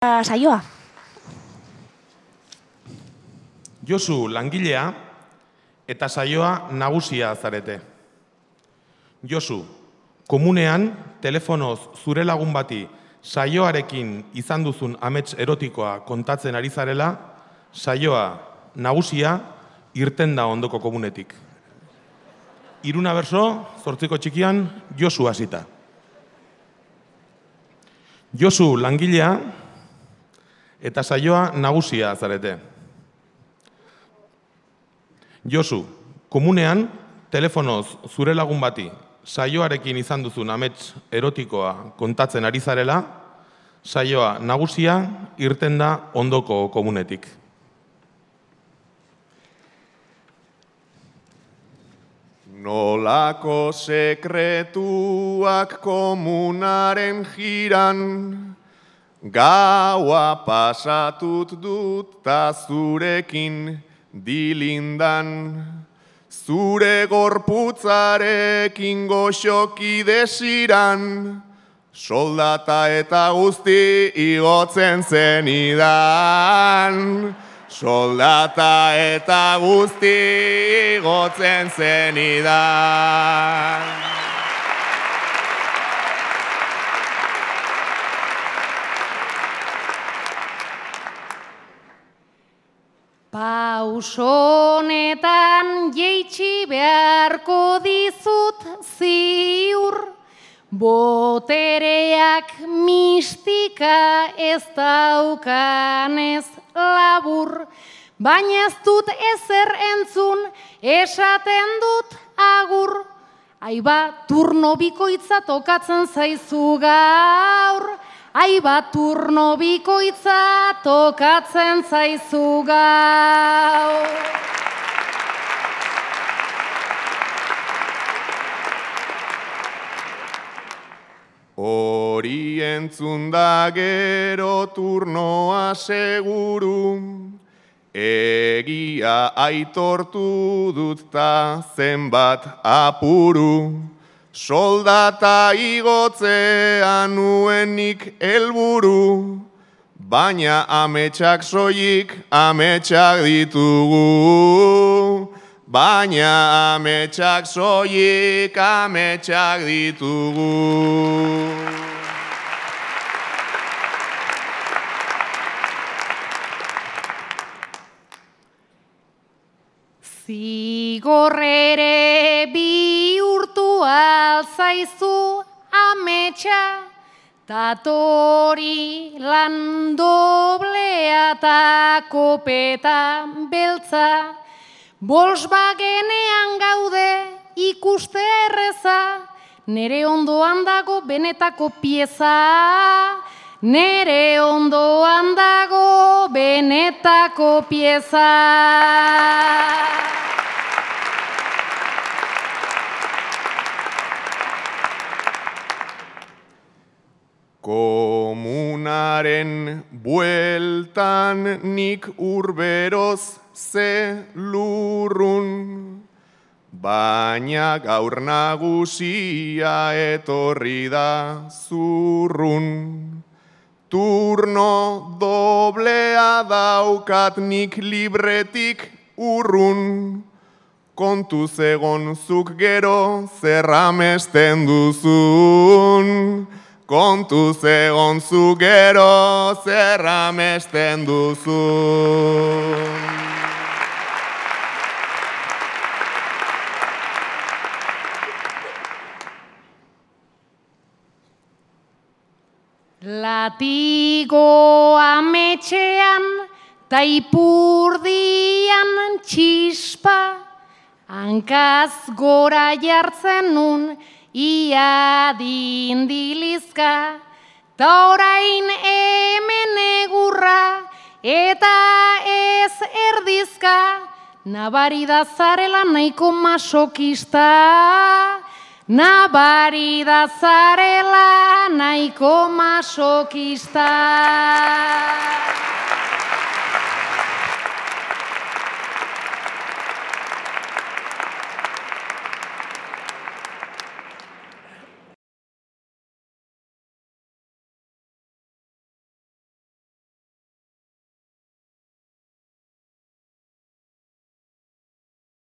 Saioa. Josu langilea eta saioa nagusia zarete. Josu, komunean telefonoz zure lagun bati saioarekin izan duzun amets erotikoa kontatzen ari zarela, saioa nagusia irten da ondoko komunetik. Iruna berso, 8 txikian, Josu hasita. Josu langilea eta saioa nagusia zarete. Josu, komunean, telefonoz zure lagun bati saioarekin izan duzun amets erotikoa kontatzen ari zarela, saioa nagusia irten da ondoko komunetik. Nolako sekretuak komunaren jiran, gaua pasatut dut ta zurekin dilindan, zure gorputzarekin goxoki desiran, soldata eta guzti igotzen zenidan. Soldata eta guzti igotzen zenidan. Pausonetan jeitsi beharko dizut ziur, botereak mistika ez daukanez labur, baina ez dut ezer entzun, esaten dut agur. Aiba, turno bikoitza tokatzen zaizu gaur, aiba, turno bikoitza tokatzen zaizu gaur. Hori entzun da gero turnoa seguru, egia aitortu dut ta zenbat apuru, soldata igotzea nuenik helburu, baina ametsak soilik ametsak ditugu. Baina ametsak soilik ametsak ditugu. Zigor ere bihurtu alzaizu ametsa, tatori lan doblea ta kopeta beltza, Volkswagenean gaude ikuste erreza, nere ondoan dago benetako pieza, nere ondoan dago benetako pieza. Komunaren bueltan nik urberoz ze lurrun, baina gaur nagusia etorri da zurrun. Turno doblea daukat nik libretik urrun, kontuz egon zuk gero zer amesten duzun. Kontuz egon zu gero zer amesten duzun. Latigo ametxean ta ipurdian txispa, hankaz gora jartzen nun ia dindilizka, ta orain hemen egurra eta ez erdizka, nabari da zarela nahiko masokista, nabari da zarela nahiko masokista.